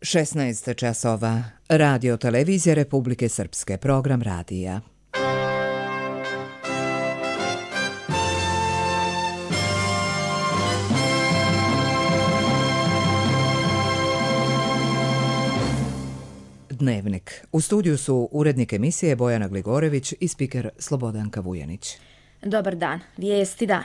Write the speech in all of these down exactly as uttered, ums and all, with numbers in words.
šesnaest časova. Radio televizija Republike Srpske. Program radija. Dnevnik. U studiju su urednik emisije Bojana Gligorević i spiker Slobodanka Vujanić. Dobar dan. Vijesti dana.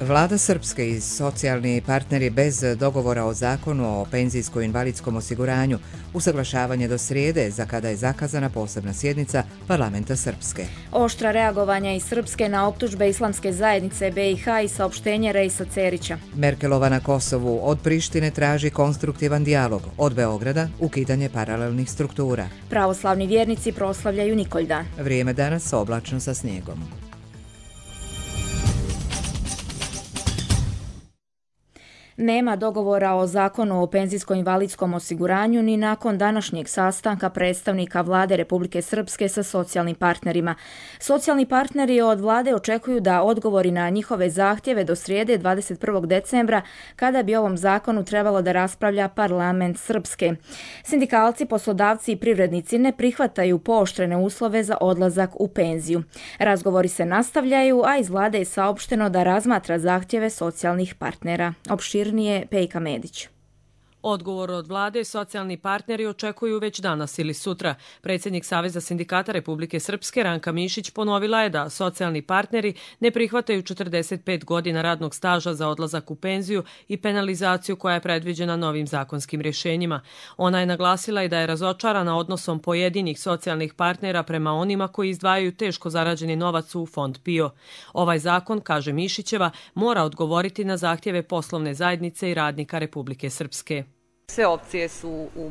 Vlada Srpske i socijalni partneri bez dogovora o zakonu o penzijsko-invalidskom osiguranju, usaglašavanje do srijede, za kada je zakazana posebna sjednica Parlamenta Srpske. Oštra reagovanja iz Srpske na optužbe Islamske zajednice B i H i saopštenje Reisa Cerića. Merkelova na Kosovu od Prištine traži konstruktivan dijalog, od Beograda ukidanje paralelnih struktura. Pravoslavni vjernici proslavljaju Nikoljdan. Vrijeme danas oblačno sa snijegom. Nema dogovora o zakonu o penzijsko-invalidskom osiguranju ni nakon današnjeg sastanka predstavnika Vlade Republike Srpske sa socijalnim partnerima. Socijalni partneri od Vlade očekuju da odgovori na njihove zahtjeve do srijede dvadeset prvog decembra, kada bi ovom zakonu trebalo da raspravlja Parlament Srpske. Sindikalci, poslodavci i privrednici ne prihvataju pooštrene uslove za odlazak u penziju. Razgovori se nastavljaju, a iz Vlade je saopšteno da razmatra zahtjeve socijalnih partnera. Opšir Pejka Medić. Odgovor od vlade socijalni partneri očekuju već danas ili sutra. Predsjednik Saveza sindikata Republike Srpske Ranka Mišić ponovila je da socijalni partneri ne prihvataju četrdeset pet godina radnog staža za odlazak u penziju i penalizaciju koja je predviđena novim zakonskim rješenjima. Ona je naglasila i da je razočarana odnosom pojedinih socijalnih partnera prema onima koji izdvajaju teško zarađeni novac u fond P I O. Ovaj zakon, kaže Mišićeva, mora odgovoriti na zahtjeve poslovne zajednice i radnika Republike Srpske. Sve opcije su u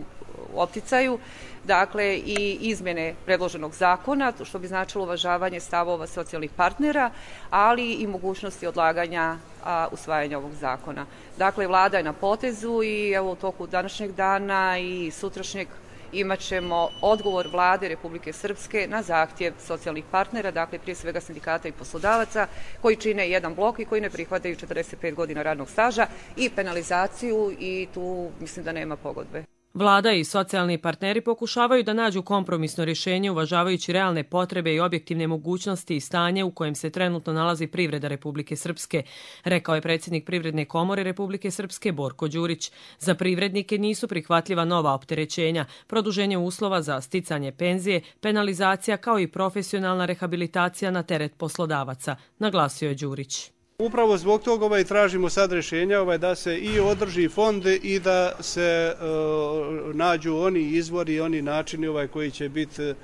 opticaju, dakle i izmjene predloženog zakona, što bi značilo uvažavanje stavova socijalnih partnera, ali i mogućnosti odlaganja a, usvajanja ovog zakona. Dakle, vlada je na potezu i evo u toku današnjeg dana i sutrašnjeg imat ćemo odgovor Vlade Republike Srpske na zahtjev socijalnih partnera, dakle prije svega sindikata i poslodavaca, koji čine jedan blok i koji ne prihvataju četrdeset pet godina radnog staža i penalizaciju, i tu mislim da nema pogodbe. Vlada i socijalni partneri pokušavaju da nađu kompromisno rješenje uvažavajući realne potrebe i objektivne mogućnosti i stanje u kojem se trenutno nalazi privreda Republike Srpske, rekao je predsjednik Privredne komore Republike Srpske Borko Đurić. Za privrednike nisu prihvatljiva nova opterećenja, produženje uslova za sticanje penzije, penalizacija kao i profesionalna rehabilitacija na teret poslodavaca, naglasio je Đurić. Upravo zbog toga ovaj, tražimo sad rješenja ovaj, da se i održi fond i da se uh, nađu oni izvori i oni načini ovaj, koji će biti uh,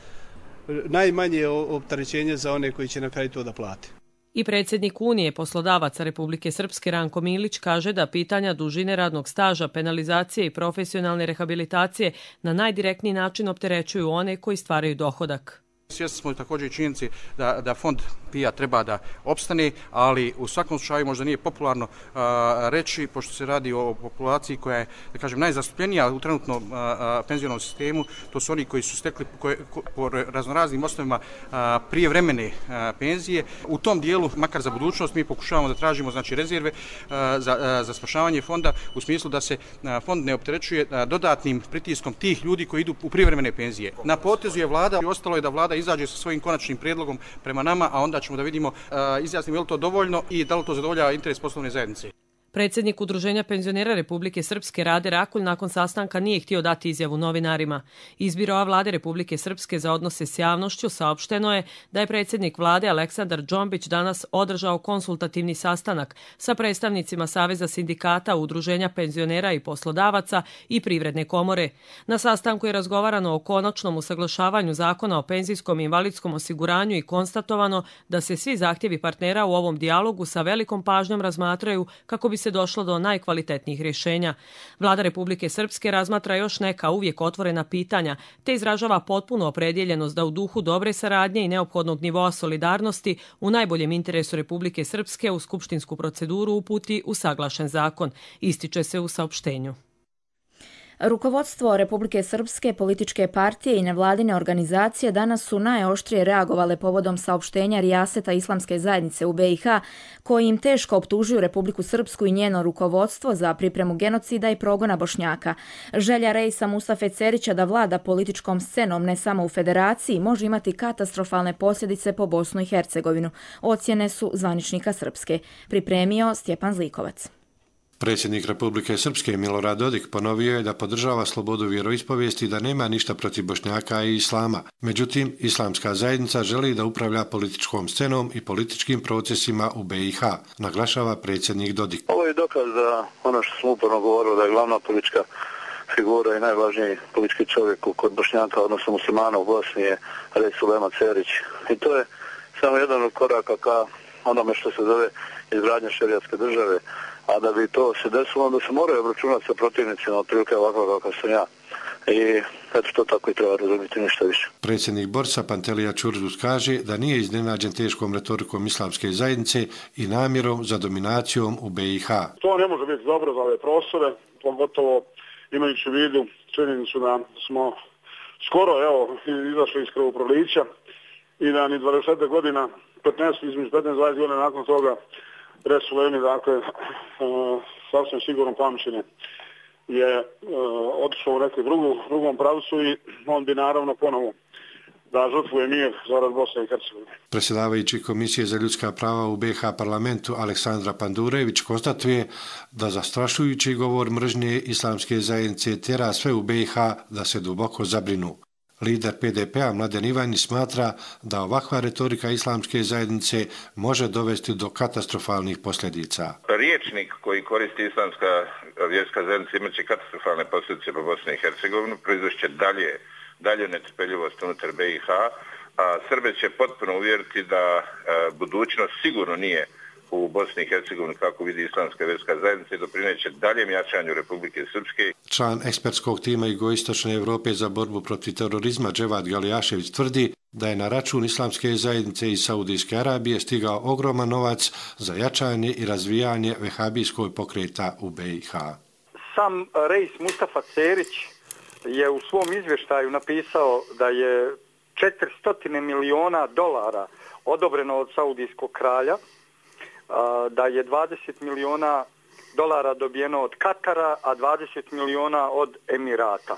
najmanje opterećenje za one koji će na kraju to da plate. I predsjednik Unije poslodavaca Republike Srpske Ranko Milić kaže da pitanja dužine radnog staža, penalizacije i profesionalne rehabilitacije na najdirektniji način opterećuju one koji stvaraju dohodak. Svjesni smo također i činjenici da, da fond P I A treba da opstane, ali u svakom slučaju možda nije popularno a, reći, pošto se radi o populaciji koja je, da kažem, najzastupljenija u trenutnom a, penzionom sistemu, to su oni koji su stekli koje, ko, po raznoraznim osnovima a, prijevremene a, penzije. U tom dijelu, makar za budućnost, mi pokušavamo da tražimo znači, rezerve a, za, a, za spašavanje fonda u smislu da se a, fond ne opterećuje a, dodatnim pritiskom tih ljudi koji idu u prijevremene penzije. Na potezu je vlada i ostalo je da vlada izađe sa svojim konačnim prijedlogom prema nama, a onda ćemo da vidimo, uh, izjasnimo je li to dovoljno i da li to zadovoljava interes poslovne zajednice. Predsjednik Udruženja penzionera Republike Srpske Rade Rakulj nakon sastanka nije htio dati izjavu novinarima. Iz Biroa Vlade Republike Srpske za odnose s javnošću saopšteno je da je predsjednik Vlade Aleksandar Džombić danas održao konsultativni sastanak sa predstavnicima Saveza sindikata, Udruženja penzionera i poslodavaca i Privredne komore. Na sastanku je razgovarano o konačnom usaglašavanju zakona o penzijskom i invalidskom osiguranju i konstatovano da se svi zahtjevi partnera u ovom dijalogu sa velikom pažnjom razmatraju kako bi se došlo do najkvalitetnijih rješenja. Vlada Republike Srpske razmatra još neka uvijek otvorena pitanja, te izražava potpunu opredjeljenost da u duhu dobre saradnje i neophodnog nivoa solidarnosti u najboljem interesu Republike Srpske u skupštinsku proceduru uputi usaglašen zakon, ističe se u saopštenju. Rukovodstvo Republike Srpske, političke partije i nevladine organizacije danas su najoštrije reagovale povodom saopštenja Rijaseta Islamske zajednice u be i ha, koji im teško optužuju Republiku Srpsku i njeno rukovodstvo za pripremu genocida i progona Bošnjaka. Želja Reisa Mustafe Cerića da vlada političkom scenom ne samo u federaciji može imati katastrofalne posljedice po Bosnu i Hercegovinu. Ocjene su zvaničnika Srpske. Pripremio Stjepan Zlikovac. Predsjednik Republike Srpske Milorad Dodik ponovio je da podržava slobodu vjeroispovijesti i da nema ništa protiv Bošnjaka i islama. Međutim, islamska zajednica želi da upravlja političkom scenom i političkim procesima u be i ha, naglašava predsjednik Dodik. Ovo je dokaz da ono što smo uporno govorili da je glavna politička figura i najvažniji politički čovjek kod Bošnjaka, odnosno muslimana u Bosni je Reis Ulema Cerić. I to je samo jedan od koraka ka onome što se zove izgradnja šerijatske države. A da bi to se desilo, onda se moraju obračunati sa protivnicima, otprilike ovako kako sam ja. I eto to tako i treba razumjeti, ništa više. Predsjednik Borsa Pantelija Čurdus kaže da nije iznenađen teškom retorikom islamske zajednice i namjerom za dominacijom u be i ha. To ne može biti dobro za ove prostore, pogotovo imajući u vidu činjenicu da smo skoro evo, izašli iz krvoprolića i da ni dvadeset godina, petnaest, između petnaest i dvadeset godina nakon toga Reis Ulemi, dakle, uh, sasvim sigurno pamćenje je uh, otišao u neku drugu, drugom pravcu i on bi naravno ponovo da žrtvuje mir zarad Bosne i Hercegovine. Predsjedavajući Komisije za ljudska prava u be i ha parlamentu Aleksandra Pandurević konstatuje da zastrašujući govor mržnje islamske zajednice tjera sve u be i ha da se duboko zabrinu. Lider pe de pe-a Mladen Ivanić smatra da ovakva retorika islamske zajednice može dovesti do katastrofalnih posljedica. Riječnik koji koristi islamska vjerska zajednica imat će katastrofalne posljedice po Bosni i Hercegovini, proizvešće dalje, dalje netrpeljivost unutar be i ha, a Srbe će potpuno uvjeriti da a, budućnost sigurno nije u Bosni i Hercegovini kako vidi islamska vjerska zajednica i doprineće daljem jačanju Republike Srpske. Član ekspertskog tima Jugoistočne Europe za borbu protiv terorizma Dževad Galijašević tvrdi da je na račun islamske zajednice iz Saudijske Arabije stigao ogroman novac za jačanje i razvijanje vehabijskog pokreta u be i ha. Sam Reis Mustafa Cerić je u svom izvještaju napisao da je četiristo miliona dolara odobreno od Saudijskog kralja, da je dvadeset miliona dolara dobijeno od Katara, a dvadeset miliona od Emirata.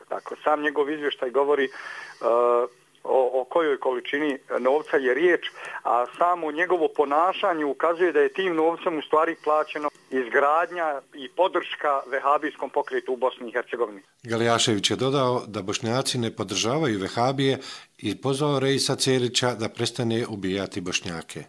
Dakle, sam njegov izvještaj govori uh, o, o kojoj količini novca je riječ, a samo njegovo ponašanje ukazuje da je tim novcem u stvari plaćeno izgradnja i podrška vehabijskom pokretu u Bosni i Hercegovini. Galijašević je dodao da Bošnjaci ne podržavaju vehabije i pozvao Reisa Cerića da prestane ubijati Bošnjake.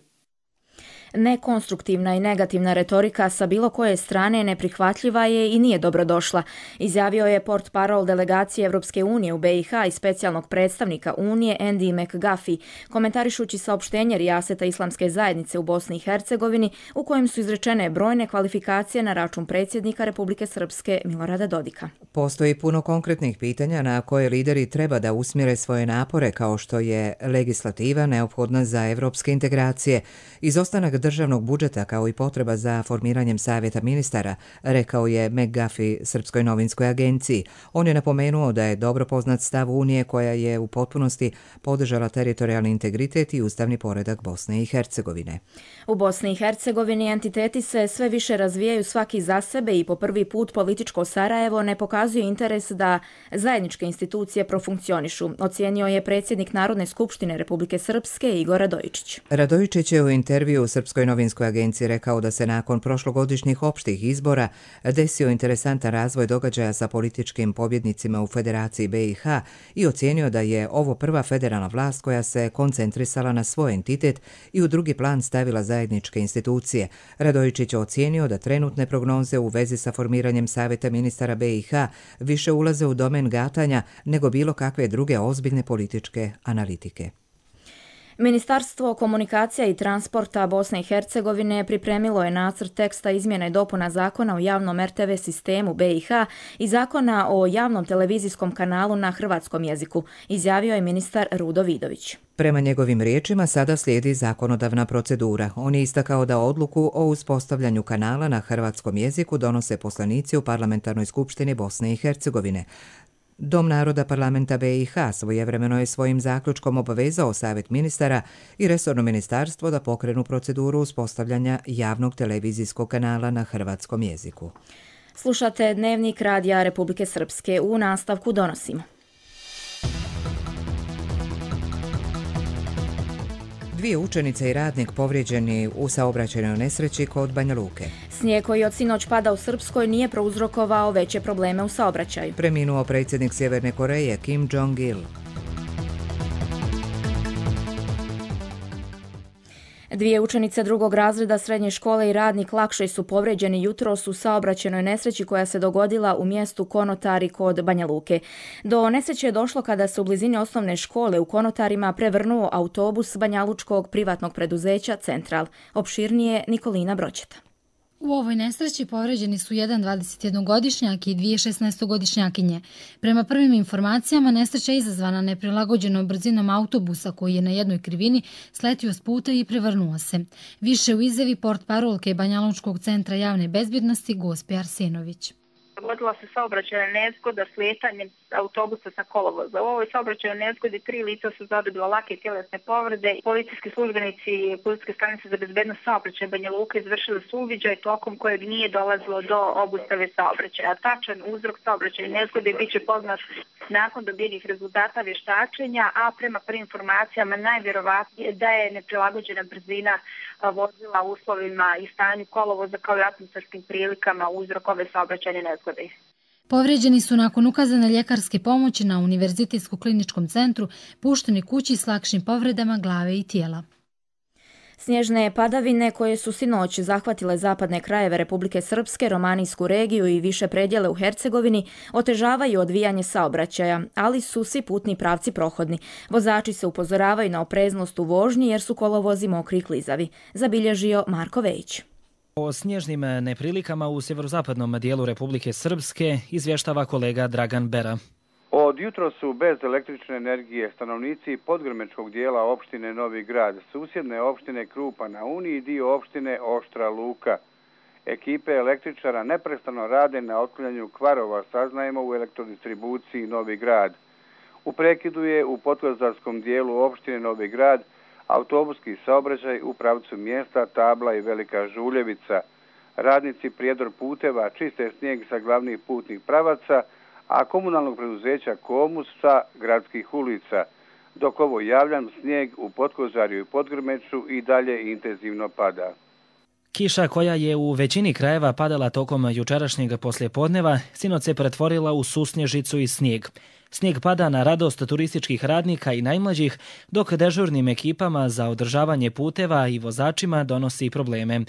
Nekonstruktivna i negativna retorika sa bilo koje strane neprihvatljiva je i nije dobrodošla, izjavio je portparol delegacije Evropske unije u be i ha i specijalnog predstavnika Unije Andy McGuffey, komentarišući saopštenje Rijaseta Islamske zajednice u Bosni i Hercegovini u kojem su izrečene brojne kvalifikacije na račun predsjednika Republike Srpske Milorada Dodika. Postoji puno konkretnih pitanja na koje lideri treba da usmjere svoje napore, kao što je legislativa neophodna za evropske integracije, izostanak državnog budžeta kao i potreba za formiranjem savjeta ministara, rekao je McGuffey Srpskoj novinskoj agenciji. On je napomenuo da je dobro poznat stav Unije koja je u potpunosti podržala teritorijalni integritet i ustavni poredak Bosne i Hercegovine. U Bosni i Hercegovini entiteti se sve više razvijaju svaki za sebe i po prvi put političko Sarajevo ne pokazuje interes da zajedničke institucije profunkcionišu, ocijenio je predsjednik Narodne skupštine Republike Srpske Igor Radojičić. Radojičić je u intervju Srpskoj novinskoj agenciji rekao da se nakon prošlogodišnjih opštih izbora desio interesantan razvoj događaja sa političkim pobjednicima u Federaciji be i ha i ocijenio da je ovo prva federalna vlast koja se koncentrisala na svoj entitet i u drugi plan stavila zajedničke institucije. Radojičić je ocijenio da trenutne prognoze u vezi sa formiranjem savjeta ministara be i ha više ulaze u domen gatanja nego bilo kakve druge ozbiljne političke analitike. Ministarstvo komunikacija i transporta Bosne i Hercegovine pripremilo je nacrt teksta izmjena i dopuna zakona o javnom er te ve sistemu be i ha i zakona o javnom televizijskom kanalu na hrvatskom jeziku, izjavio je ministar Rudo Vidović. Prema njegovim riječima sada slijedi zakonodavna procedura. On je istakao da odluku o uspostavljanju kanala na hrvatskom jeziku donose poslanici u Parlamentarnoj skupštini Bosne i Hercegovine. Dom naroda parlamenta B i H svojevremeno je svojim zaključkom obavezao Savjet ministara i resorno ministarstvo da pokrenu proceduru uspostavljanja javnog televizijskog kanala na hrvatskom jeziku. Slušate Dnevnik Radija Republike Srpske. U nastavku donosimo. Dvije učenice i radnik povrijeđeni u saobraćajnoj nesreći kod Banja Luke. Snijeg koji od sinoć pada u Srpskoj nije prouzrokovao veće probleme u saobraćaju. Preminuo predsjednik Sjeverne Koreje Kim Jong-il. Dvije učenice drugog razreda srednje škole i radnik lakše su povrijeđeni jutros u saobraćajnoj nesreći koja se dogodila u mjestu Konotari kod Banja Luke. Do nesreće je došlo kada se u blizini osnovne škole u Konotarima prevrnuo autobus banjalučkog privatnog preduzeća Central. Opširnije Nikolina Broćeta. U ovoj nesreći povređeni su jedan dvadesetjednogodišnjak i dvije šesnaestogodišnjakinje. Prema prvim informacijama, nesreća je izazvana neprilagođenom brzinom autobusa koji je na jednoj krivini sletio s puta i prevrnuo se. Više u izjavi portparolke Banjalučkog centra javne bezbjednosti Gospe Arsenović. Dogodila se saobraćajna nezgoda slijetanjem autobusa sa kolovoza. U ovoj saobraćajnoj nezgodi tri lica su zadobila lake tjelesne povrede. Policijski službenici Policijske stanice za bezbednost saobraćaja Banja Luka izvršili su uviđaj tokom kojeg nije dolazilo do obustave saobraćaja. Tačan uzrok saobraćajne nezgode bit će poznat nakon dobijenih rezultata vještačenja, a prema prvim informacijama najvjerovatnije da je neprilagođena brzina vozila u uslovima i stanju kolovoza kao i atmosferskim prilikama uzrok ove saobraćajne nezgode. Povrijeđeni su nakon ukazane ljekarske pomoći na Univerzitetskom kliničkom centru pušteni kući s lakšim povredama glave i tijela. Snježne padavine koje su sinoć zahvatile zapadne krajeve Republike Srpske, Romanijsku regiju i više predjele u Hercegovini otežavaju odvijanje saobraćaja, ali su svi putni pravci prohodni. Vozači se upozoravaju na opreznost u vožnji jer su kolovozi mokri i klizavi. Zabilježio Marko Vejić. O snježnim neprilikama u sjeverozapadnom dijelu Republike Srpske izvještava kolega Dragan Bera. Od jutro su bez električne energije stanovnici podgrmečkog dijela opštine Novi Grad, susjedne opštine Krupa na Uni i dio opštine Oštra Luka. Ekipe električara neprestano rade na otklanjanju kvarova, saznajemo u elektrodistribuciji Novi Grad. U prekidu je u potkozarskom dijelu opštine Novi Grad autobuski saobraćaj u pravcu mjesta Tabla i Velika Žuljevica. Radnici prijedor puteva čiste snijeg sa glavnih putnih pravaca, a komunalnog preduzeća Komus sa gradskih ulica, dok ovo javljam snijeg u Potkozarju i Podgrmeću i dalje intenzivno pada. Kiša koja je u većini krajeva padala tokom jučerašnjeg poslijepodneva, sinoć se pretvorila u susnježicu i snijeg. Snijeg pada na radost turističkih radnika i najmlađih, dok dežurnim ekipama za održavanje puteva i vozačima donosi probleme.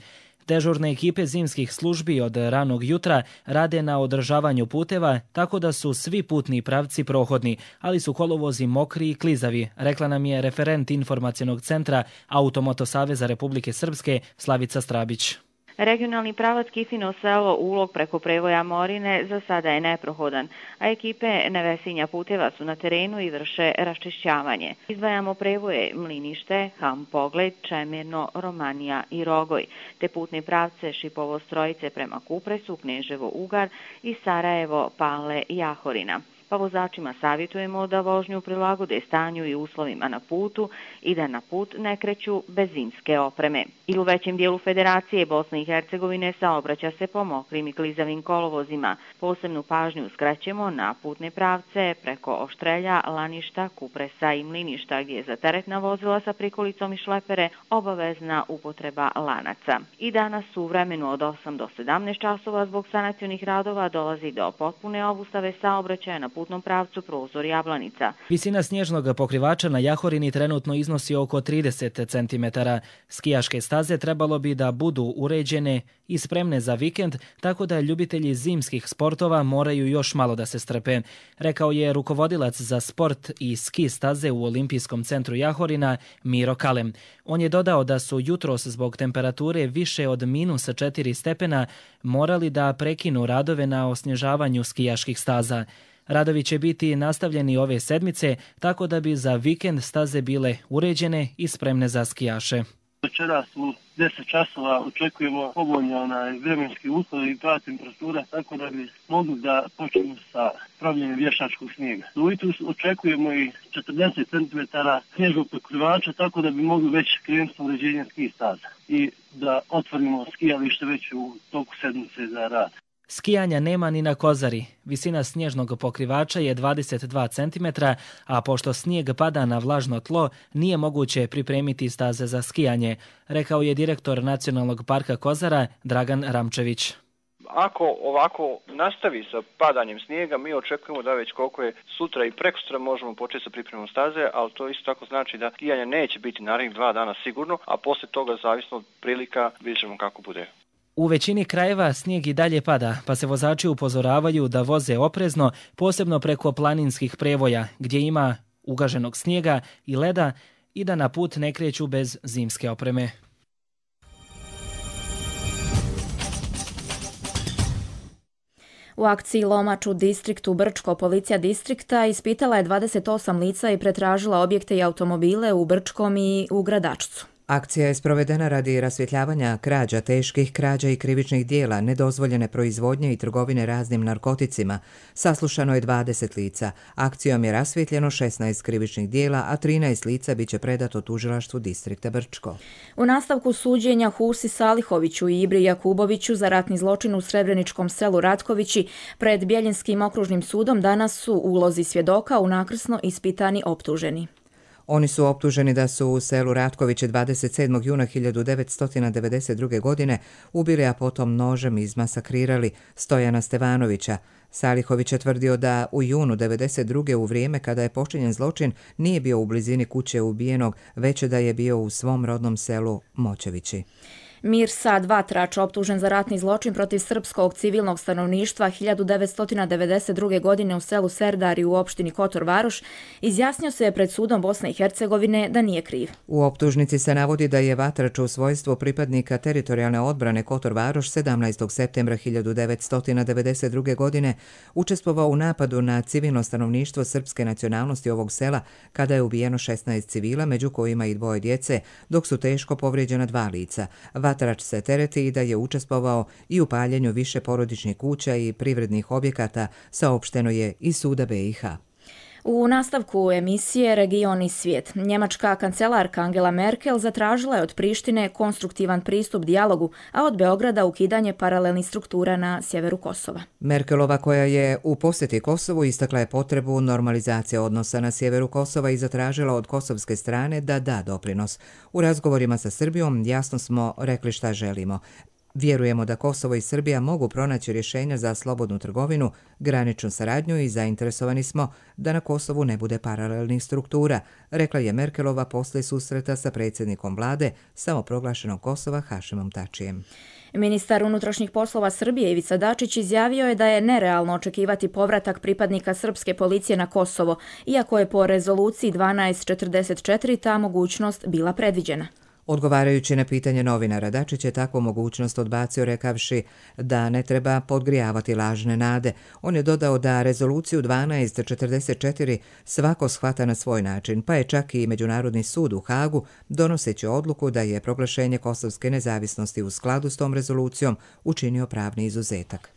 Dežurne ekipe zimskih službi od ranog jutra rade na održavanju puteva, tako da su svi putni pravci prohodni, ali su kolovozi mokri i klizavi, rekla nam je referent informacionog centra Automoto Saveza Republike Srpske Slavica Strabić. Regionalni pravac Kifino selo Ulog preko prevoja Morine za sada je neprohodan, a ekipe Nevesinja puteva su na terenu i vrše raščišćavanje. Izdvajamo prevoje Mlinište, Ham Pogled, Čemirno, Romanija i Rogoj, te putne pravce Šipovo Strojice prema Kupresu, Kneževo Ugar i Sarajevo, Pale i Jahorina. Pa vozačima savjetujemo da vožnju prilagode stanju i uslovima na putu i da na put ne kreću bez zimske opreme. I u većem dijelu Federacije Bosne i Hercegovine saobraća se po mokrim i klizavim kolovozima. Posebnu pažnju skraćemo na putne pravce preko Oštrelja, Laništa, Kupresa i Mliništa, gdje je za teretna vozila sa prikolicom i šlepere obavezna upotreba lanaca. I danas u vremenu od osam do sedamnaest časova zbog sanacionih radova dolazi do potpune obustave saobraćaja na putnom pravcu Prozor Jablanica. Visina snježnog pokrivača na Jahorini trenutno iznosi oko trideset centimetara. Skijaške staze trebalo bi da budu uređene i spremne za vikend, tako da ljubitelji zimskih sportova moraju još malo da se strpe, rekao je rukovodilac za sport i ski staze u Olimpijskom centru Jahorina Miro Kalem. On je dodao da su jutros zbog temperature više od minus četiri stepena morali da prekinu radove na osnježavanju skijaških staza. Radovi će biti nastavljeni ove sedmice, tako da bi za vikend staze bile uređene i spremne za skijaše. Večeras u deset časova očekujemo povoljni onaj vremenski uslov i prava temperatura, tako da bi mogli da počnemo sa pravljenjem vještačkog snijega. Ujutru očekujemo i četrdeset centimetara snježnog pokrivača, tako da bi mogli već krenuti sa uređenjem ski staza i da otvorimo skijalište već u toku sedmice za rad. Skijanja nema ni na Kozari. Visina snježnog pokrivača je dvadeset dva centimetra, a pošto snijeg pada na vlažno tlo, nije moguće pripremiti staze za skijanje, rekao je direktor Nacionalnog parka Kozara Dragan Ramčević. Ako ovako nastavi sa padanjem snijega, mi očekujemo da već koliko je sutra i prekosutra možemo početi sa pripremom staze, ali to isto tako znači da skijanja neće biti narednih dva dana sigurno, a poslije toga zavisno od prilika vidjet ćemo kako bude. U većini krajeva snijeg i dalje pada, pa se vozači upozoravaju da voze oprezno, posebno preko planinskih prevoja, gdje ima ugaženog snijega i leda i da na put ne kreću bez zimske opreme. U akciji Lomač u distriktu Brčko policija distrikta ispitala je dvadeset osam lica i pretražila objekte i automobile u Brčkom i u Gradačcu. Akcija je sprovedena radi rasvjetljavanja krađa, teških krađa i krivičnih dijela, nedozvoljene proizvodnje i trgovine raznim narkoticima. Saslušano je dvadeset lica. Akcijom je rasvjetljeno šesnaest krivičnih dijela, a trinaest lica biće predato tužilaštvu distrikta Brčko. U nastavku suđenja Husi Salihoviću i Ibri Jakuboviću za ratni zločin u srebreničkom selu Ratkovići pred Bjeljinskim okružnim sudom danas su u ulozi svjedoka unakrsno ispitani optuženi. Oni su optuženi da su u selu Ratkoviće dvadeset sedmog juna hiljadu devetsto devedeset druge. godine ubili, a potom nožem izmasakrirali Stojana Stevanovića. Salihović je tvrdio da u junu devedeset druge. u vrijeme kada je počinjen zločin nije bio u blizini kuće ubijenog, već da je bio u svom rodnom selu Moćevići. Mirsad Vatrač, optužen za ratni zločin protiv srpskog civilnog stanovništva hiljadu devetsto devedeset druge. godine u selu Serdari u opštini Kotor Varoš, izjasnio se pred sudom Bosne i Hercegovine da nije kriv. U optužnici se navodi da je Vatrač u svojstvu pripadnika teritorijalne odbrane Kotor Varoš sedamnaestog septembra hiljadu devetsto devedeset druge. godine učestvovao u napadu na civilno stanovništvo srpske nacionalnosti ovog sela kada je ubijeno šesnaest civila, među kojima i dvoje djece, dok su teško povrijeđena dva lica. Vatrač se tereti i da je učestvovao i u paljenju više porodičnih kuća i privrednih objekata, saopšteno je iz suda B i H. U nastavku emisije Region i svijet, njemačka kancelarka Angela Merkel zatražila je od Prištine konstruktivan pristup dijalogu, a od Beograda ukidanje paralelnih struktura na sjeveru Kosova. Merkelova, koja je u posjeti Kosovu, istakla je potrebu normalizacije odnosa na sjeveru Kosova i zatražila od kosovske strane da da doprinos. U razgovorima sa Srbijom jasno smo rekli šta želimo. Vjerujemo da Kosovo i Srbija mogu pronaći rješenja za slobodnu trgovinu, graničnu saradnju i zainteresovani smo da na Kosovu ne bude paralelnih struktura, rekla je Merkelova poslije susreta sa predsjednikom vlade samoproglašenog Kosova Hašimom Tačijem. Ministar unutrašnjih poslova Srbije Ivica Dačić izjavio je da je nerealno očekivati povratak pripadnika srpske policije na Kosovo, iako je po rezoluciji dvanaest četrdeset četiri ta mogućnost bila predviđena. Odgovarajući na pitanje novinara, Dačić je takvu mogućnost odbacio rekavši da ne treba podgrijavati lažne nade. On je dodao da rezoluciju dvanaest četrdeset četiri svako shvata na svoj način, pa je čak i Međunarodni sud u Hagu, donoseći odluku da je proglašenje kosovske nezavisnosti u skladu s tom rezolucijom, učinio pravni izuzetak.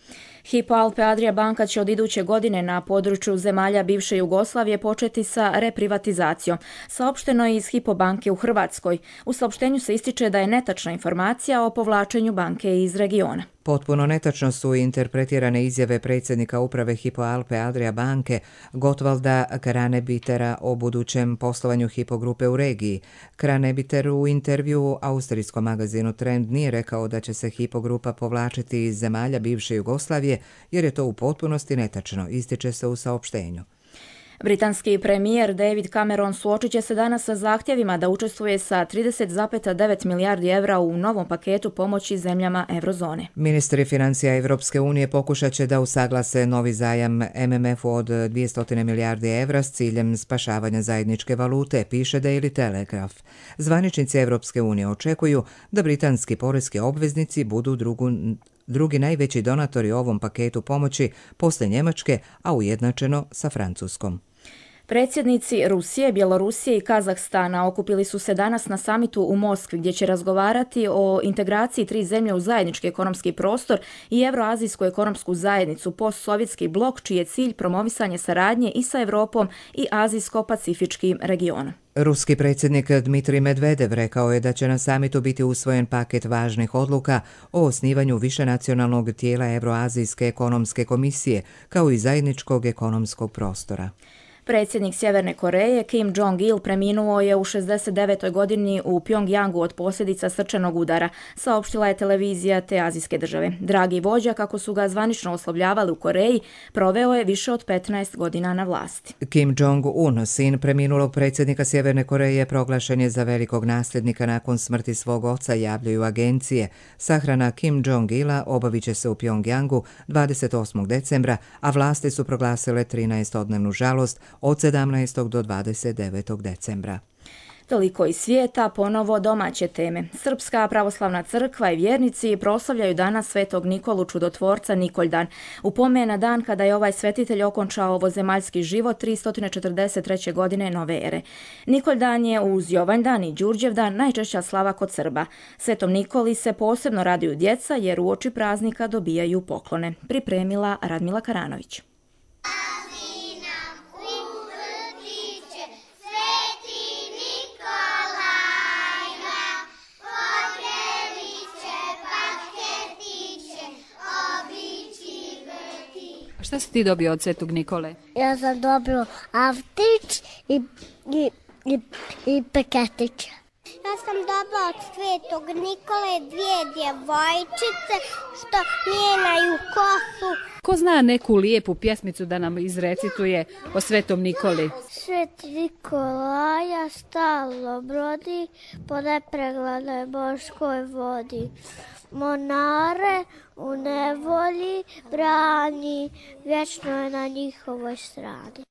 Hypo Alpe Adria banka će od iduće godine na području zemalja bivše Jugoslavije početi sa reprivatizacijom. Saopšteno je iz Hypo banke u Hrvatskoj. U saopštenju se ističe da je netačna informacija o povlačenju banke iz regiona. Potpuno netačno su interpretirane izjave predsjednika uprave Hypo Alpe Adria banke Gottwalda Kranebitera o budućem poslovanju Hypo grupe u regiji. Kranebiter u intervju austrijskom magazinu Trend nije rekao da će se Hypo grupa povlačiti iz zemalja bivše Jugoslavije, jer je to u potpunosti netačno, ističe se u saopštenju. Britanski premijer David Cameron suočit će se danas sa zahtjevima da učestvuje sa trideset zarez devet milijardi evra u novom paketu pomoći zemljama eurozone. Ministri financija Evropske unije pokušat će da usaglase novi zajam M M F-u od dvjesto milijardi evra s ciljem spašavanja zajedničke valute, piše Daily Telegraph. Zvaničnici Evropske unije očekuju da britanski poreski obveznici budu drugu drugi najveći donatori ovom paketu pomoći posle Njemačke, a ujednačeno sa Francuskom. Predsjednici Rusije, Bjelorusije i Kazahstana okupili su se danas na samitu u Moskvi gdje će razgovarati o integraciji tri zemlje u zajednički ekonomski prostor i Evroazijsku ekonomsku zajednicu, postsovjetski blok, čiji je cilj promovisanje saradnje i sa Europom i Azijsko-Pacifičkim regionom. Ruski predsjednik Dmitrij Medvedev rekao je da će na samitu biti usvojen paket važnih odluka o osnivanju višenacionalnog tijela Evroazijske ekonomske komisije, kao i zajedničkog ekonomskog prostora. Predsjednik Sjeverne Koreje Kim Jong-il preminuo je u šezdeset devetoj godini u Pjongjangu od posljedica srčanog udara, saopštila je televizija te azijske države. Dragi vođa, kako su ga zvanično oslovljavali u Koreji, proveo je više od petnaest godina na vlasti. Kim Jong-un, sin preminulog predsjednika Sjeverne Koreje, proglašen je za velikog nasljednika nakon smrti svog oca, javljaju agencije. Sahrana Kim Jong-ila obavit će se u Pjongjangu dvadeset osmog decembra, a vlasti su proglasile trinaestodnevnu žalost od sedamnaestog do dvadeset devetog decembra. Toliko iz svijeta, ponovo domaće teme. Srpska pravoslavna crkva i vjernici proslavljaju danas Svetog Nikolu Čudotvorca Nikoljdan. U pomen na dan kada je ovaj svetitelj okončao ovozemaljski život tristo četrdeset treće godine nove ere. Nikoljdan je uz Jovanjdan i Đurđevdan najčešća slava kod Srba. Svetom Nikoli se posebno raduju djeca jer uoči praznika dobijaju poklone. Pripremila Radmila Karanović. Šta si ti dobio od Svetog Nikole? Ja sam dobio avtić i, i, i, i peketić. Ja sam dobila od Svetog Nikole dvije djevojčice što mijenjaju kosu. Ko zna neku lijepu pjesmicu da nam izrecituje o Svetom Nikoli? Sveti Nikolaja stalno brodi po nepreglednoj morskoj vodi. Monare u nevolji brani, vječno je na njihovoj strani.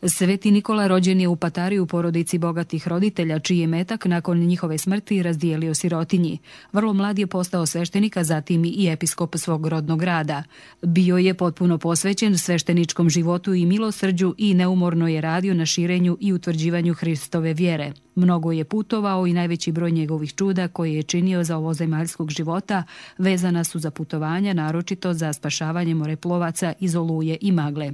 Sveti Nikola rođen je u Patari u porodici bogatih roditelja, čiji je metak nakon njihove smrti razdijelio sirotinji. Vrlo mlad je postao sveštenik, a zatim i episkop svog rodnog grada. Bio je potpuno posvećen svešteničkom životu i milosrđu i neumorno je radio na širenju i utvrđivanju Hristove vjere. Mnogo je putovao i najveći broj njegovih čuda koje je činio za ovozemaljskog života vezana su za putovanja, naročito za spašavanje moreplovaca iz oluje i magle.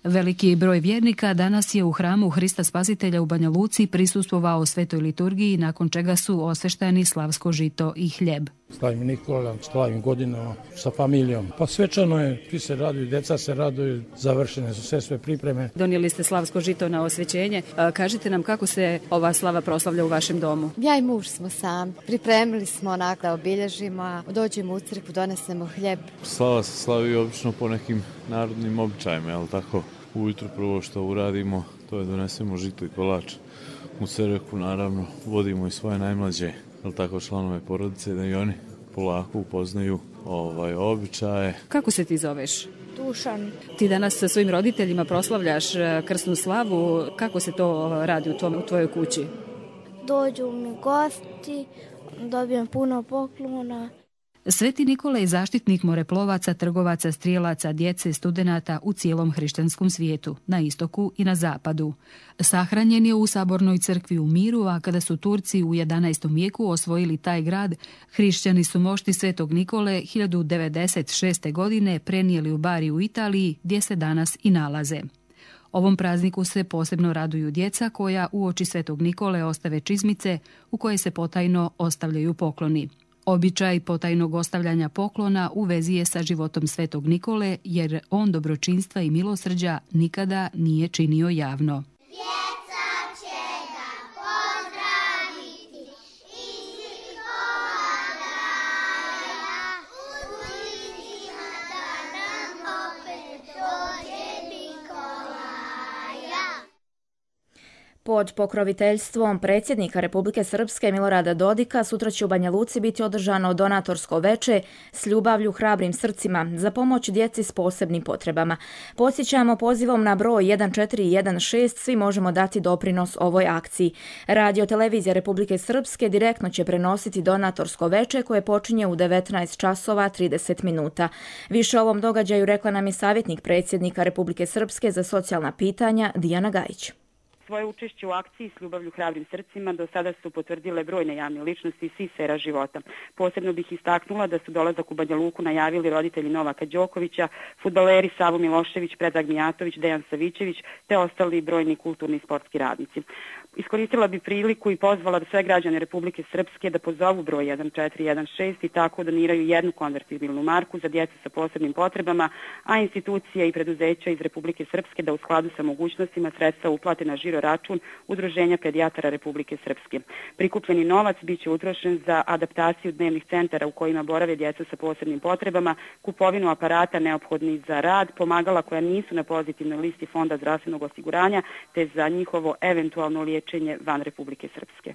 Veliki broj vjernika danas je u hramu Hrista Spasitelja u Banja Luci prisustvovao svetoj liturgiji, nakon čega su osvešteni slavsko žito i hljeb. Slavim Nikola, slavim godinama sa familijom. Pa svečano je, svi se raduju, djeca se raduju, završene su sve sve pripreme. Donijeli ste slavsko žito na osvećenje. Kažite nam kako se ova slava proslavlja u vašem domu? Ja i muž smo sami. Pripremili smo onako da obilježimo, dođemo u crkvu, donesemo hljeb. Slava se slavi obično po nekim narodnim običajima, jel tako? Ujutro prvo što uradimo, to je donesemo žito i kolač. U crkvu naravno vodimo i svoje najmlađe, jel tako, članove porodice, da i oni polako upoznaju ovaj običaje. Kako se ti zoveš? Dušan. Ti danas sa svojim roditeljima proslavljaš krsnu slavu. Kako se to radi u, tvom, u tvojoj kući? Dođu mi gosti, dobijem puno poklona. Sveti Nikola je zaštitnik moreplovaca, trgovaca, strijelaca, djece, studenata u cijelom hrišćanskom svijetu, na istoku i na zapadu. Sahranjen je u Sabornoj crkvi u Miru, a kada su Turci u jedanaestom vijeku osvojili taj grad, hrišćani su mošti Svetog Nikole hiljadu devedeset šeste. godine prenijeli u Bari u Italiji, gdje se danas i nalaze. Ovom prazniku se posebno raduju djeca koja uoči Svetog Nikole ostave čizmice u koje se potajno ostavljaju pokloni. Običaj potajnog ostavljanja poklona u vezi je sa životom Svetog Nikole, jer on dobročinstva i milosrđa nikada nije činio javno. Pod pokroviteljstvom predsjednika Republike Srpske Milorada Dodika sutra će u Banja Luci biti održano donatorsko veče s ljubavlju hrabrim srcima za pomoć djeci s posebnim potrebama. Podsjećamo, pozivom na broj jedan četiri jedan šest svi možemo dati doprinos ovoj akciji. Radio televizija Republike Srpske direktno će prenositi donatorsko veče koje počinje u devetnaest časova trideset minuta. Više o ovom događaju rekla nam je savjetnik predsjednika Republike Srpske za socijalna pitanja Dijana Gajić. Svoje učešće u akciji s ljubavlju hrabrim srcima do sada su potvrdile brojne javne ličnosti iz svih sfera života. Posebno bih istaknula da su dolazak u Banja Luku najavili roditelji Novaka Đokovića, fudbaleri Savo Milošević, Predrag Mijatović, Dejan Savićević te ostali brojni kulturni i sportski radnici. Iskoristila bi priliku i pozvala sve građane Republike Srpske da pozovu broj jedan četiri jedan šest i tako doniraju jednu konvertibilnu marku za djecu sa posebnim potrebama, a institucije i preduzeća iz Republike Srpske da u skladu sa mogućnostima sredstva uplate na žiro račun Udruženja pedijatara Republike Srpske. Prikupljeni novac bit će utrošen za adaptaciju dnevnih centara u kojima borave djeca sa posebnim potrebama, kupovinu aparata neophodnih za rad, pomagala koja nisu na pozitivnoj listi Fonda zdravstvenog osiguranja, te za njihovo eventualno liječenje van Republike Srpske.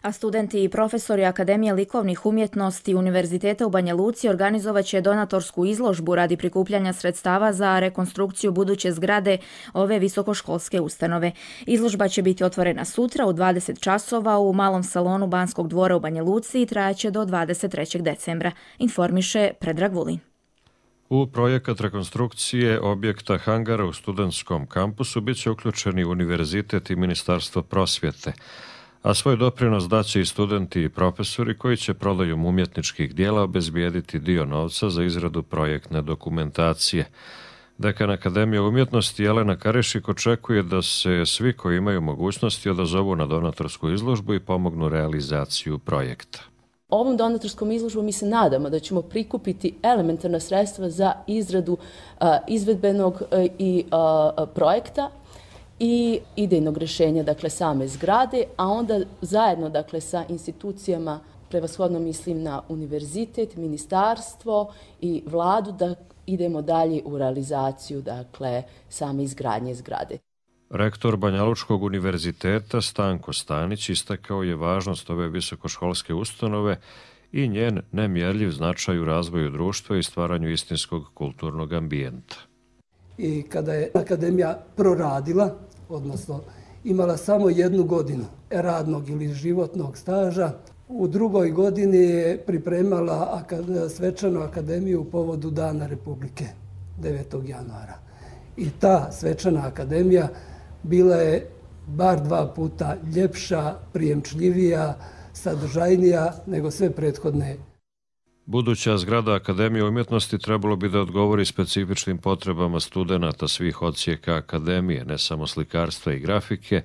A studenti i profesori Akademije likovnih umjetnosti Univerziteta u Banja Luci organizovat će donatorsku izložbu radi prikupljanja sredstava za rekonstrukciju buduće zgrade ove visokoškolske ustanove. Izložba će biti otvorena sutra u dvadeset časova u malom salonu Banskog dvora u Banja Luci i trajaće do dvadeset trećeg decembra, informiše Predrag Vulin. U projekat rekonstrukcije objekta hangara u studentskom kampusu bit će uključeni Univerzitet i Ministarstvo prosvjete, a svoj doprinos daće i studenti i profesori koji će prodajom umjetničkih dijela obezbijediti dio novca za izradu projektne dokumentacije. Dekan Akademije umjetnosti Jelena Karišik očekuje da se svi koji imaju mogućnosti odazovu na donatorsku izložbu i pomognu realizaciju projekta. Ovom donatorskom izložbom mi se nadamo da ćemo prikupiti elementarna sredstva za izradu uh, izvedbenog uh, i uh, projekta i idejnog rješenja, dakle same zgrade, a onda zajedno, dakle, sa institucijama, prevashodno mislim na univerzitet, ministarstvo i vladu, da idemo dalje u realizaciju, dakle, same izgradnje zgrade. Rektor Banjalučkog univerziteta Stanko Stanić istakao je važnost ove visokoškolske ustanove i njen nemjerljiv značaj u razvoju društva i stvaranju istinskog kulturnog ambijenta. I kada je akademija proradila, odnosno imala samo jednu godinu radnog ili životnog staža, u drugoj godini je pripremala svečanu akademiju u povodu Dana Republike, devetog januara. I ta svečana akademija bila je bar dva puta ljepša, prijemčljivija, sadržajnija nego sve prethodne. Buduća zgrada Akademije umjetnosti trebalo bi da odgovori specifičnim potrebama studenata svih odsjeka Akademije, ne samo slikarstva i grafike,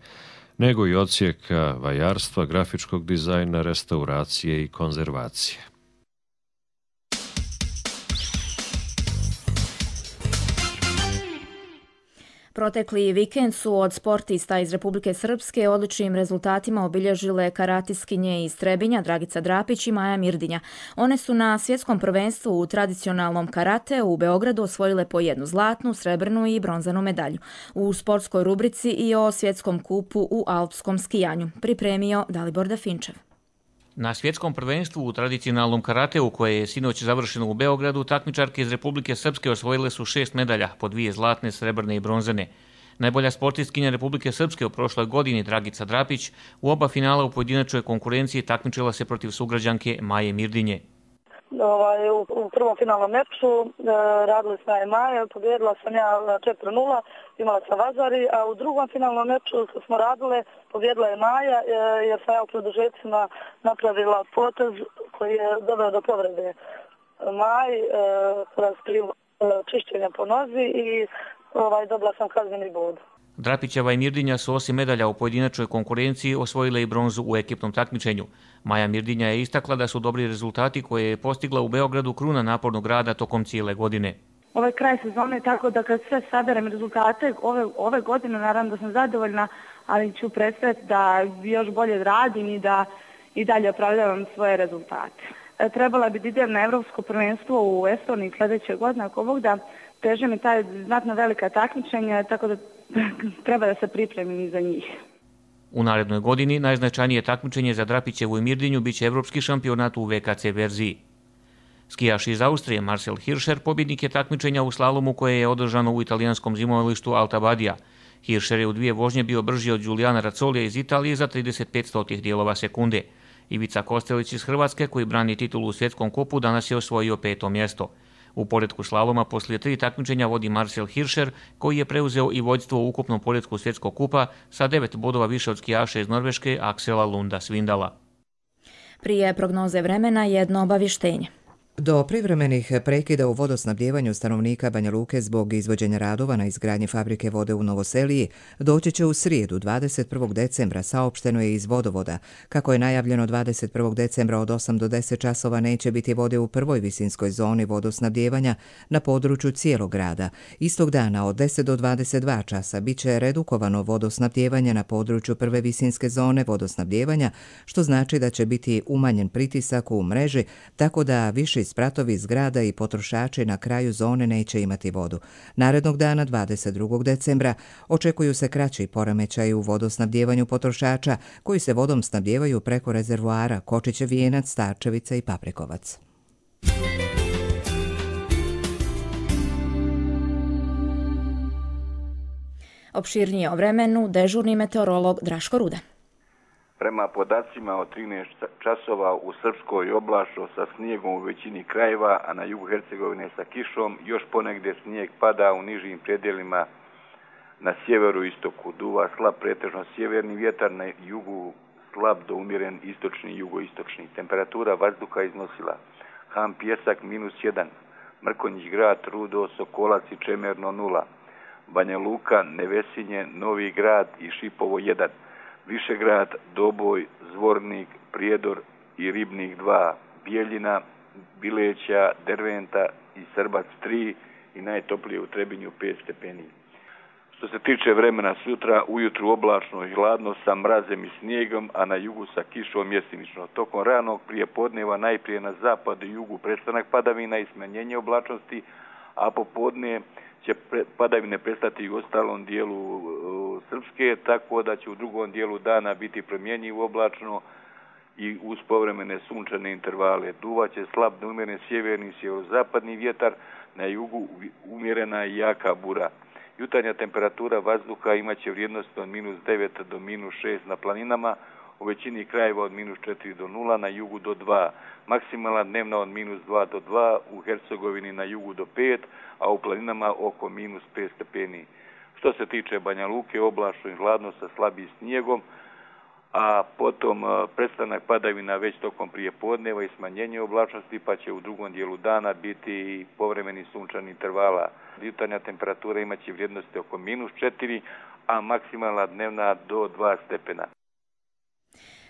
nego i odsjeka vajarstva, grafičkog dizajna, restauracije i konzervacije. Protekli vikend su od sportista iz Republike Srpske odličnim rezultatima obilježile karatiskinje iz Trebinja Dragica Drapić i Maja Mirdinja. One su na svjetskom prvenstvu u tradicionalnom karate u Beogradu osvojile po jednu zlatnu, srebrnu i bronzanu medalju. U sportskoj rubrici i o svjetskom kupu u alpskom skijanju pripremio Dalibor Dafinčev. Na svjetskom prvenstvu u tradicionalnom karateu koje je sinoć završeno u Beogradu, takmičarke iz Republike Srpske osvojile su šest medalja, po dvije zlatne, srebrne i bronzane. Najbolja sportistkinja Republike Srpske u prošloj godini, Dragica Drapić, u oba finala u pojedinačnoj konkurenciji takmičila se protiv sugrađanke Maje Mirdinje. Ovaj, u, u prvom finalnom meču e, radili smo je Maja, pobjedila sam ja četiri nula, imala sam Vazari, a u drugom finalnom meču smo radile, pobjedila je Maja, e, jer sam ja u produžecima napravila potez koji je doveo do povrede Maj, e, kroz krivo e, čišćenja po nozi i ovaj, dobila sam kazneni bod. Drapićeva i Mirdinja su osim medalja u pojedinačnoj konkurenciji osvojile i bronzu u ekipnom takmičenju. Maja Mirdinja je istakla da su dobri rezultati koje je postigla u Beogradu kruna napornog rada tokom cijele godine. Ovo je kraj sezone, tako da kad sve saberem rezultate ove, ove godine, naravno da sam zadovoljna, ali ću predstaviti da još bolje radim i da i dalje opravljavam svoje rezultate. E, trebala bi da idem na Evropsko prvenstvo u Estoniji sljedeće godine, ako Bog da teže mi taj znatno velika takmičenja, tako da treba da se pripremim i za njih. U narednoj godini najznačajnije takmičenje za Drapićevu i Mirdinju biće evropski šampionat u V K C verziji. Skijaš iz Austrije Marcel Hirscher pobjednik je takmičenja u slalomu koje je održano u italijanskom zimovalištu Alta Badia. Hirscher je u dvije vožnje bio brži od Giuliana Razzolija iz Italije za trideset pet stotih dijelova sekunde. Ivica Kostelić iz Hrvatske, koji brani titulu u svjetskom kupu, danas je osvojio peto mjesto. U poretku slaloma poslije tri takmičenja vodi Marcel Hirscher, koji je preuzeo i vođstvo u ukupnom poretku svjetskog kupa sa devet bodova više od skijaša iz Norveške Aksela Lunda Svindala. Prije prognoze vremena jedno obavještenje. Do privremenih prekida u vodosnabdjevanju stanovnika Banja Luke zbog izvođenja radova na izgradnji fabrike vode u Novoseliji doći će u srijedu dvadeset prvog decembra, saopšteno je iz vodovoda. Kako je najavljeno, dvadeset prvog decembra od osam do deset časova neće biti vode u prvoj visinskoj zoni vodosnabdjevanja na području cijelog grada. Istog dana od deset do dvadeset dva časa bit će redukovano vodosnabdjevanje na području prve visinske zone vodosnabdjevanja, što znači da će biti umanjen pritisak u mreži, tako da više spratovi zgrada i potrošači na kraju zone neće imati vodu. Narednog dana, dvadeset drugog decembra, očekuju se kraći poremećaji u vodosnabdjevanju potrošača koji se vodom snabdjevaju preko rezervoara Kočićev Vijenac, Starčevica i Paprikovac. Opširnije o vremenu dežurni meteorolog Draško Ruda. Prema podacima od trinaest časova u Srpskoj oblačno sa snijegom u većini krajeva, a na jugu Hercegovine sa kišom, još ponegdje snijeg pada u nižim predjelima na sjeveru istoku. Duva slab pretežno sjeverni vjetar, na jugu slab do umjeren istočni i jugoistočni. Temperatura vazduha iznosila Ham Pjesak minus jedan, Mrkonjić grad, Rudo, Sokolac i Čemerno nula, Banja Luka, Nevesinje, Novi grad i Šipovo jedan. Višegrad, Doboj, Zvornik, Prijedor i Ribnik dva, Bijeljina, Bileća, Derventa i Srbac tri i najtoplije u Trebinju pet stepeni. Što se tiče vremena sutra, ujutru oblačno i hladno sa mrazem i snijegom, a na jugu sa kišom mjesimično. Tokom ranog prijepodneva najprije na zapadu i jugu prestanak padavina i smanjenje oblačnosti, a popodne će padavine prestati u ostalom dijelu Srpske, tako da će u drugom dijelu dana biti promjenjivo oblačno i uz povremene sunčane intervale. Duvaće slab do umjeren sjeverni i sjeverozapadni vjetar, na jugu umjerena i jaka bura. Jutarnja temperatura vazduha imaće vrijednost od minus devet do minus šest na planinama, u većini krajeva od minus četiri do nula, na jugu do dva. Maksimalna dnevna od minus dva do dva, u Hercegovini na jugu do pet, a u planinama oko minus pet stepeni. Što se tiče Banja Luke, oblačno i hladno sa slabim snijegom, a potom prestanak padavina već tokom prijepodneva i smanjenje oblačnosti, pa će u drugom dijelu dana biti povremeni sunčani intervala. Jutarnja temperatura imaće vrijednosti oko minus četiri, a maksimalna dnevna do dva stepena.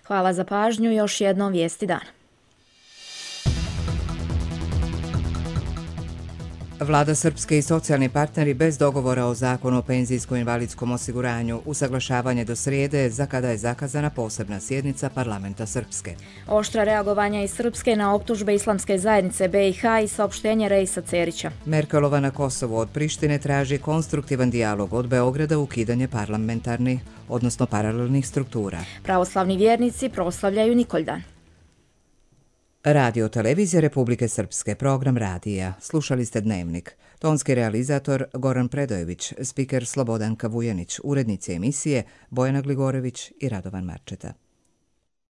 Hvala za pažnju, još jednom vijesti dana. Vlada Srpske i socijalni partneri bez dogovora o zakonu o penzijsko-invalidskom osiguranju, usaglašavanje do srijede za kada je zakazana posebna sjednica parlamenta Srpske. Oštra reagovanja iz Srpske na optužbe Islamske zajednice B i H i saopštenje Reisa Cerića. Merkelova na Kosovu od Prištine traži konstruktivan dijalog od Beograda, ukidanje parlamentarnih, odnosno paralelnih struktura. Pravoslavni vjernici proslavljaju Nikoldan. Radio Televizija Republike Srpske, program radija. Slušali ste Dnevnik. Tonski realizator Goran Predojević, spiker Slobodanka Vujanić, urednici emisije Bojana Gligorević i Radovan Marčeta.